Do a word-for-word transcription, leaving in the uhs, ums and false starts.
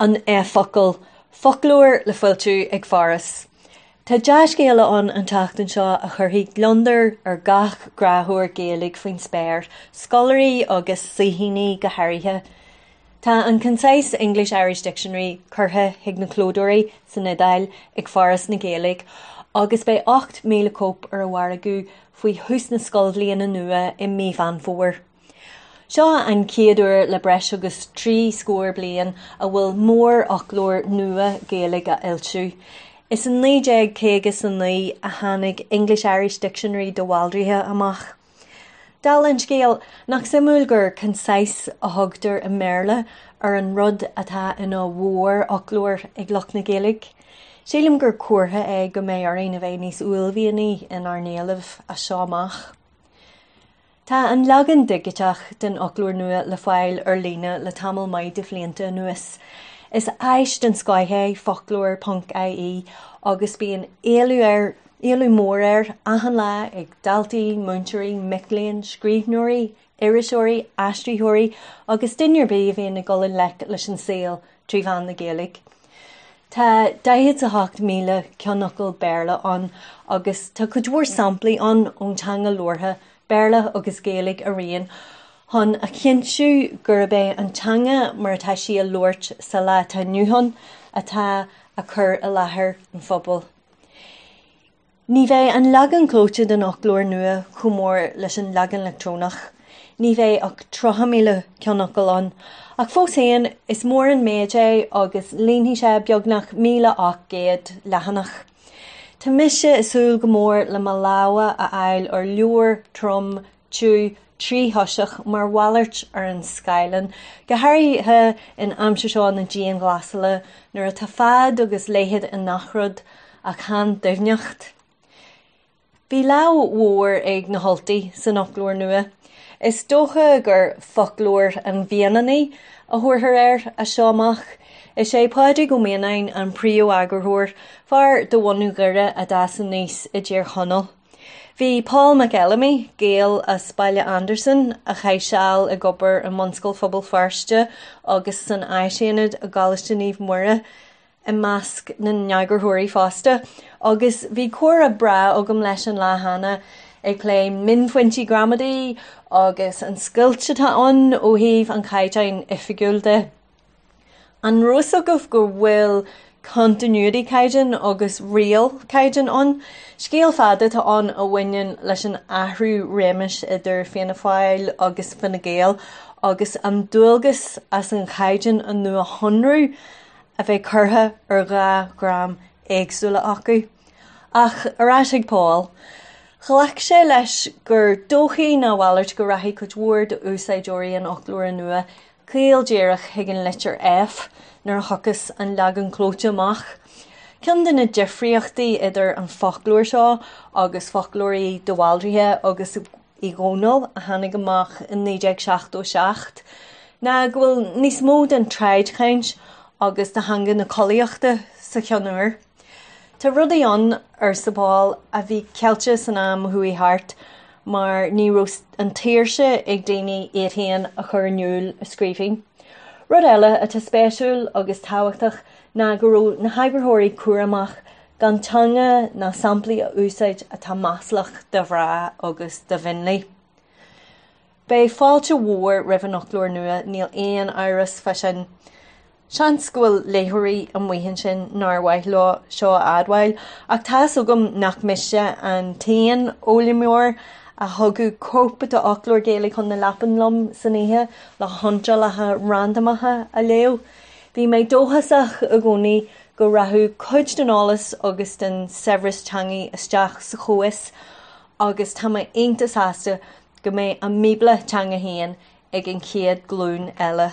An F-fhocal, foclóir le foilsiú ag Foras. Tá dea-scéala ann an tseachtain seo a chuirfidh gliondar ar gach gráthóir Gaeilge faoin spéir, scoláirí agus saoithíní go háirithe. Tá an Concise English-Irish Dictionary curtha chuig na clódóirí san Iodáil ag Foras na Gaeilge agus beidh ocht míle cóip ar an mhargadh faoi thús na scoilbhliana nua i mí Mheán Fómhair. Seo an chéad uair le breis agus trí scór bliain a bhfuil mórfhoclóir nua Gaeilge á fhoilsiú. Is in naoi déag caoga is a naoi a tháinig English-Irish Dictionary de Bhaldraithe amach. Dála an scéil nach suimiúil gur concise a thugtar i mBéarla ar an rud atá ina mhórfhoclóir ag lucht na Gaeilge. Sílim gur comhartha é go mbeidh orainn a bheith níos uaillmhianaí inár n-éilimh as seo amach. Tá an leagan digiteach den fhoclóir nua le fáil ar líne le tamall maith de bhlianta anuas. Is áis den scoth é foclóir ponc IE agus bíonn éileamh air éileamh mór air achan lá ag daltaí, múinteoirí, mic léinn, scríbhneoirí, iriseoirí, aistritheoirí agus duine ar bith a bhíonn ag dul i ngleic leis an saol trí mheán na Gaeilge. Tá daichead a hocht míle ceannfhocal Béarla ann agus tá cuid mhór samplaí ann ón teanga labhartha, Béarla agus Gaeilge araon, chun a chinntiú gurb é an teanga mar atá sí á labhairt sa lá atá inniu ann atá á cur i láthair an phobail. Ní bheidh an leagan clóite den fhoclóir nua chomh mór leis an leagan leictreonach. Ní bheidh ach tríocha míle ceannfhocal ann, ach fós féin is mór an méid é agus líonfaidh sé beagnach míle ocht gcéad leathanach. Tá mise ag súil go mór le mo lámha a fháil ar leabhar trom tiubh tríthoiseach mar mhalairt ar an scáileán, go háirithe in aimsir seo na dianghlasála nuair atá fad agus leithead i ngach rud ach chan doimhneacht. Bhí lámh mhór ag na hUltaigh san fhoclóir nua. Is dócha gur foclóir an mhianaigh a thabharfar air as seo amach. Is é Pádraig Ó Mianáin an príomheagarthóir, fear de bhunadh Dhoire a d'fhás aníos i dTír Chonaill. Bhí Paul McElamy, Gael as Baile Andarsan, a chaith seal ag obair i mBunscoil Phobal Feirste agus san Áisaonad i gColáiste Naomh Muire i measc na n-eagarthóirí fosta, agus bhí comhrá breá agam leis an lá cheana ag plé mionphointí gramadaí agus an scoilt atá ann ó thaobh an chaighdeáin oifigiúil de. An raibh a fhios agaibh go bhfuil continuity caighdeán agus riail caighdeán ann. Scéal fada atá ann a bhaineann leis an athrú réimis idir Fianna Fáil agus Fine Gael agus an dualgas as an chaighdeán a nuashonrú a bheith curtha ar dhá dhream éagsúla acu. Ach ar ais ag Paul. Ghlac sé leis gur dóichí ná a mhalairt go rachaidh cuid mhór d'úsáideoirí an fhoclóra nua caol díreach chuig an litir F nuair a thiocfas an leagan clóite amach. Ceann de na difríochtaí idir an foclóir seo agus foclóirí de Bhaldraithe agus Uí Dhónaill a tháinig amach in naoi déag seachtó seacht, ná go bhfuil níos mó den tsráidchaint agus de theanga na collaíochta sa cheann úr. Tá rudaí ann, arsa Paul, a bhí ceilte san am a chuaigh thart mar ní raibh an tsaoirse ag daoine iad féin a chur in iúl i scríbhinn. Rud eile atá spéisiúil agus tábhachtach ná go raibh na heagarthóirí cúramach gan teanga ná samplaí a úsáid atá maslach do mhná agus do mhionlaigh. Beidh fáilte mhór roimh an fhoclóir nua, níl aon amhras fá sin. Seans go bhfuil léitheoirí amuigh ansin nár mhaith leo seo a admháil, ach tá's agam nach mise an t-aon fhoghlaimeoir a thugadh cóip d'fhoclóir Gaeilge chun na leapan liom san oíche le hiontrálacha randamacha a léamh. Bhí mé dóchasach i gcónaí go rachadh cuid den eolas agus den saibhreas teanga isteach sa chomhfhios agus tá mé iontach sásta go mbeidh a mBíobla teanga féin ag an chéad ghlúin eile.